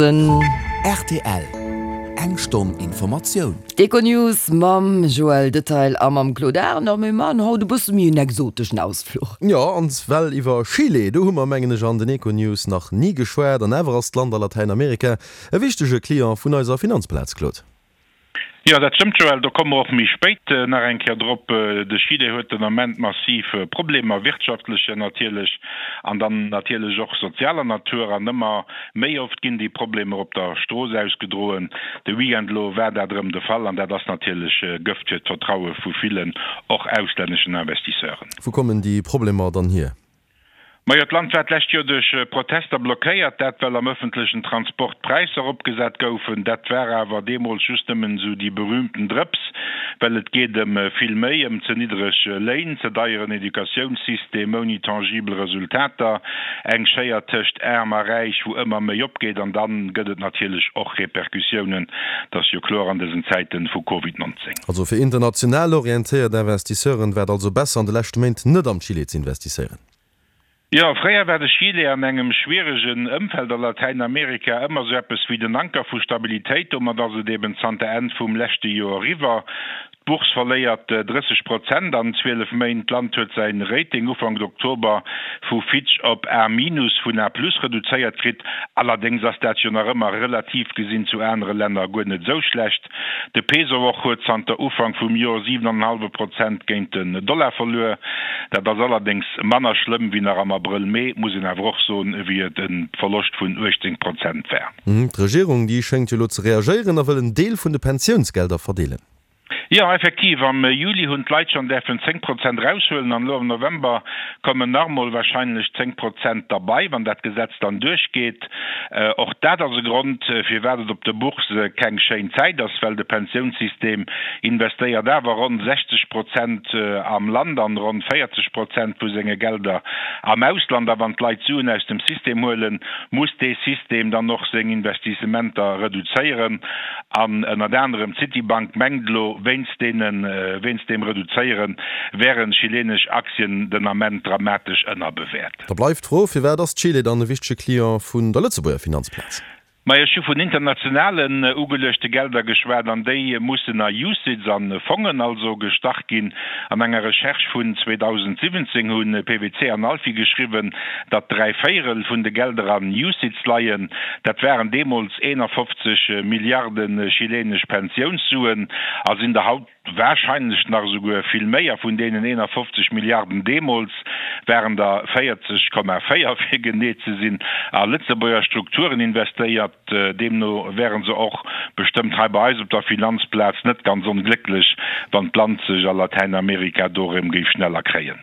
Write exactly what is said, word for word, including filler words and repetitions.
Rtl, Eng Stonn Informatioun. D'Econews mam Joël Detail a mam Claude Arend. Mir maachen haut e bësse méi en exoteschen Ausfluch. Jo, an well iwwer Chile, do hu mer, mengen ech, an den Econews nach ni geschwat. An awer ass d'Land a Latäinamerika e wichtege Client vun eiser Finanzplaz, Claude. Jo, dat stëmmt, Joël. Do komme mer och méi spéit nach eng Kéier drop. De Chile huet den Ament massiv Problemer, wirtschaftlecher natierlech an dann natierlech och sozialer Natur. An ëmmer méi oft ginn déi Problemer op der Strooss ausgedroen. De Weekend elo war dat erëm de Fall an dat ass natierlech Gëft fir d'Vertraue vu villen, och auslänneschen Investisseuren. Wou kommen déi Problemer dann hier? Majo, d'Land war d'lescht Joer duerch Protester blockéiert, dat well am ëffentlechen Transport d'Präisser eropgesat goufen. Dat war awer deemools just nëmmen esou déi berühmten Drëps, well et geet ëm vill méi, ëm ze niddreg Léin, ze deieren Educatiounssystem ouni tangibel Resultater, eng Schéier tëscht Aarm a Räich, wou ëmmer méi opgeet. An dann gëtt et natierlech och Repercussiounen, dat ass jo kloer an dësen Zäiten vu Covid nonzéng. Also fir international orientéiert Investisseuren war et also besser an de leschte Méint net am Chile ze investisséieren? Jo, fréier war de Chile an engem schwieregen Ëmfeld a Latäinamerika ëmmer sou eppes wéi den Anker vu Stabilitéit. Domat ass et eben zanter Enn vum leschte Joer eriwwer. D'Bourse verléiert drësseg Prozent an zwielef Méint. D'Land huet säi Rating Ufank Oktober vu Fitch op A minus vun A plus reduzéiert kritt. Allerdéngs ass dat jo nach ëmmer relativ gesinn zu anere Länner guer net esou schlecht. De Peso och huet zanter Ufank vum Joer siwen an en hallwe Prozent géint den Dollar verluer. Dat ass allerdéngs manner schlëmm wéi nach am Abrëll, Mee, muss een awer och soen, wéi et e Verloscht vun uechtzéng Prozent war. D'Regierung, déi schéngt jo elo ze reagéieren a wëll en Deel vun de Pensiounsgelder verdeelen. Jo, effektiv, am Juli hunn d'Leit schonn däerfen zéng Prozent eraushuelen an elo am November kommen nach emol warscheinlech zéng Prozent derbei, wann dat Gesetz dann duerchgeet. Och dat ass e Grond, firwat et op de Bourse keng schéin Zäit ass, well de Pensiounssystem investéiert awer ronn sechzeg Prozent am Land an ronn véierzeg Prozent vu senge Gelder am Ausland. A wann d'Leit Suen aus dem System huelen, muss dee System dann och seng Investissementer reduzéieren. An ënnert anerem d'Citibank mengt elo, wéinst deene, wéinst deem Reduzéiere wären chilenesch Aktien den Ament dramatesch ënnerbewäert. Da bleift d'Fro, Firwat ass Chile dann e wichtege Client vun der Lëtzebuerger Finanzplaz? Majo, ech hu vun internationalen ugeluechte Gelder geschwat, an déi mussen a UCITS, a Fongen also, gestach ginn. An enger Recherche vun zweedausendsiwwenzéng hu P W C an Alfi geschriwwen, datt dräi Véierel vun de Gelder an UCITS leien. Dat waren deemools eenafofzeg Milliarde chilenesch Pensiounssuen a sinn der haut warscheinlech nach esouguer vill méi. A vun deenen eenafofzeg Milliarden deemools waren der véierzeg Komma véier, fir genee ze sinn, a Lëtzebuerger Strukturen investéiert. Deemno wäre se och bestëmmt hei bei eis op der Finanzplaz net ganz onglécklech, wann d'Land sech a Latäinamerika do erëm géif schneller kréien.